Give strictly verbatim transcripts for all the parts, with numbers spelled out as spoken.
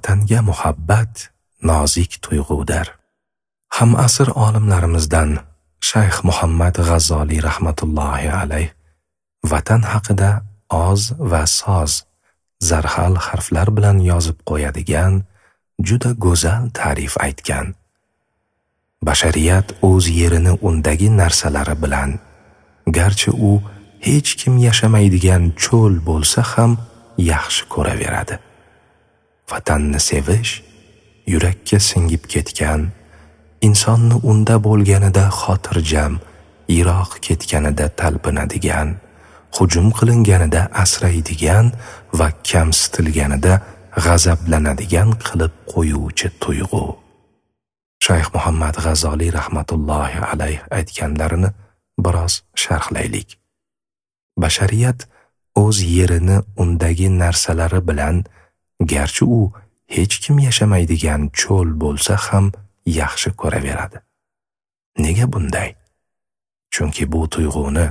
Vatanga muhabbat nozik tuyg'udir. Hamasr olimlarimizdan Shayx Muhammad G'azzoliy rahmatullohi alayh vatan haqida oz va soz zarhal harflar bilan yozib qo'yadigan juda go'zal ta'rif aytgan. Bashariyat o'z yerini undagi narsalari bilan, garchi u hech kim yashamaydigan cho'l bo'lsa ham yaxshi ko'raveradi. Vatanni sevish yurakka singib ketgan, insonni unda bo'lganida xotirjam, yiroq ketganida talpinadigan, hujum qilinganida asraydigan va kamsitilganida g'azablanadigan qilib qo'yuvchi tuyg'u. Shayx Muhammad G'azzoliy rahmatullohi alayh aytganlarini biroz sharhlaylik. Bashariyat o'z yerini undagi narsalari bilan, garchi u hech kim yashamaydigan cho'l bo'lsa ham yaxshi ko'raveradi. Nega bunday? Chunki bu tuyg'uni,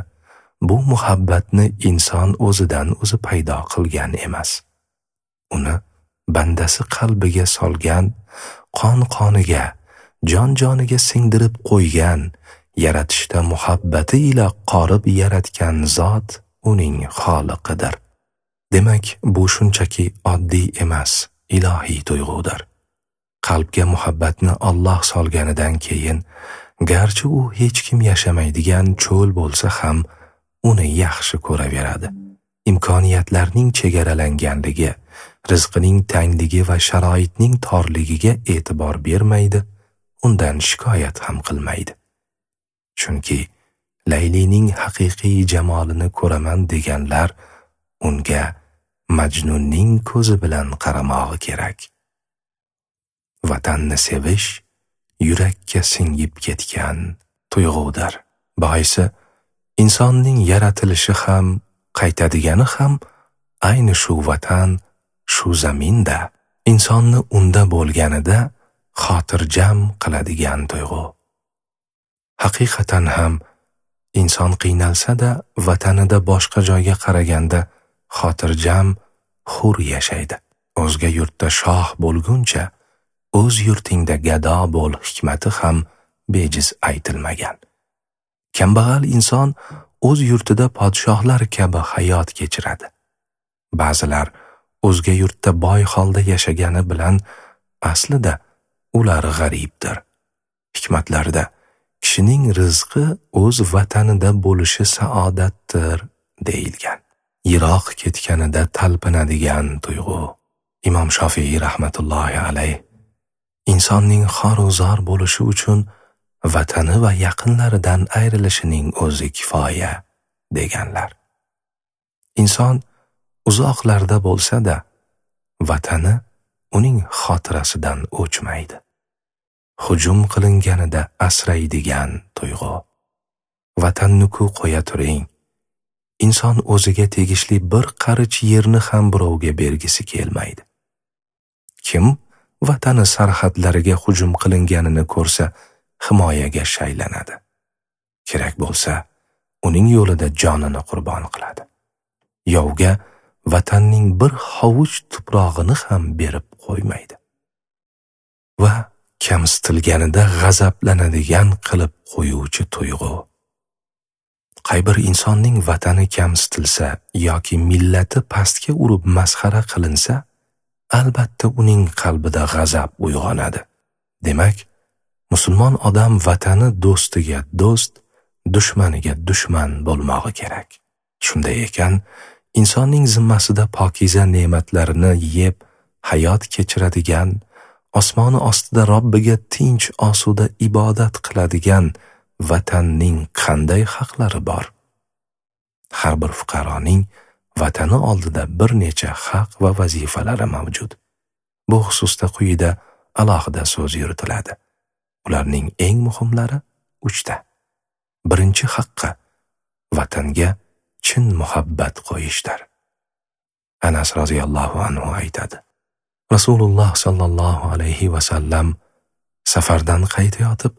bu muhabbatni inson o'zidan o'zi paydo qilgan emas. Uni bandasi qalbiga solgan, qon qoniga, jon joniga singdirib qo'ygan, yaratishda muhabbati ila qorib yaratgan zot uning xoliqidir. Demak, bu shunchaki oddiy emas, ilohiy tuyg'udir. Qalbga muhabbatni Alloh solganidan keyin, garchi u hech kim yashamaydigan cho'l bo'lsa ham, uni yaxshi ko'raveradi. Imkoniyatlarning chegaralanganligi, rizqining tangligi va sharoitning torligiga e'tibor bermaydi, undan shikoyat ham qilmaydi. Chunki Laylining haqiqiy jamolini ko'raman deganlar unga Majnunning ko'zi bilan qaramog'i kerak. Vatanni sevish yurakka singib ketgan tuyg'udir. Boisi, insonning yaratilishi ham, qaytadigani ham ayni shu vatan, shu zaminda, insonni unda bo'lganida xotirjam qiladigan tuyg'u. Haqiqatan ham inson qiynalsa-da, vatanida boshqa joyga qaraganda xotirjam, hur yashaydi. O'zga yurtda shoh bo'lguncha, o'z yurtingda gado bo'l hikmati ham bejiz aytilmagan. Kambag'al inson o'z yurtida podshohlar kabi hayot kechiradi. Ba'zilar o'zga yurtda boy holda yashagani bilan aslida ular g'aribdir. Hikmatlarda kishining rizqi o'z vatanida bo'lishi saodatdir deyilgan. Yiroq ketganida talpinadigan tuyg'u. Imom Shofiiy rahmatullohi alayh insonning xor-zor bo'lishi uchun vatani va yaqinlaridan ayrilishining o'zi kifoya deganlar. Inson uzoqlarda bo'lsa-da, vatani uning xotirasidan o'chmaydi. Hujum qilinganida asraydigan tuyg'u. Vatanni-ku qo'ya turing. Inson o'ziga tegishli bir qarich yerni ham birovga bergisi kelmaydi. Kim vatani sarhadlariga hujum qilinganini ko'rsa, himoyaga shaylanadi. Kerak bo'lsa, uning yo'lida jonini qurbon qiladi. Yovga vatanning bir hovuch tuprog'ini ham berib qo'ymaydi. Va kamsitilganida g'azablanadigan qilib qo'yuvchi tuyg'u. Qay bir insonning vatani kamsitilsa yoki millati pastga urib masxara qilinsa, albatta uning qalbida g'azab uyg'onadi. Demak, musulmon odam vatani do'stiga do'st, dushmaniga dushman bo'lmog'i kerak. Shunday ekan, insonning zimmasida pokiza ne'matlarini yeb hayot kechiradigan, osmoni ostida Robbiga tinch osuda ibodat qiladigan vatanning qanday haqlari bor? Har bir fuqaroning vatani oldida bir necha haq va vazifalari mavjud. Bu xususda quyida alohida so'z yuritiladi. Ularning eng muhimlari uchta. Birinchi haqqi vatanga chin muhabbat qo'yishdir. Anas roziyallohu anhu aytadi: Rasululloh sallallohu alayhi va sallam safardan qaytayotib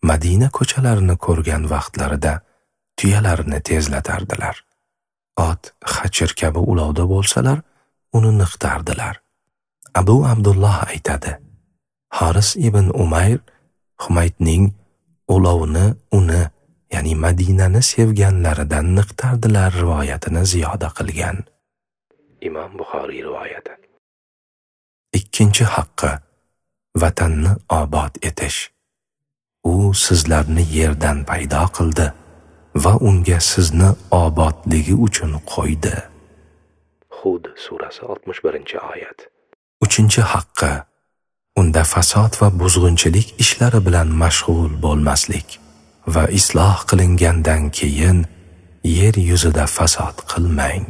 Madina ko'chalarini ko'rgan vaqtlarida tuyalarini tezlatardilar. Ot xachir kabi ulovda bo'lsalar, uni niqtardilar. Abu Abdulloh aytadi: Haris ibn Umayr Humaydning ulovni uni, ya'ni Madinani sevganlaridan niqtardilar rivoyatini ziyoda qilgan. Imom Buxoriy rivoyati. Ikkinchi haqqi vatanni obod etish. U sizlarni yerdan paydo qildi va unga sizni obodligi uchun qo'ydi. Hud surasi oltmish birinchi oyat. Uchinchi haqqi unda fasod va buzg'unchilik ishlari bilan mashg'ul bo'lmaslik va isloh qilingandan keyin yer yuzida fasod qilmang.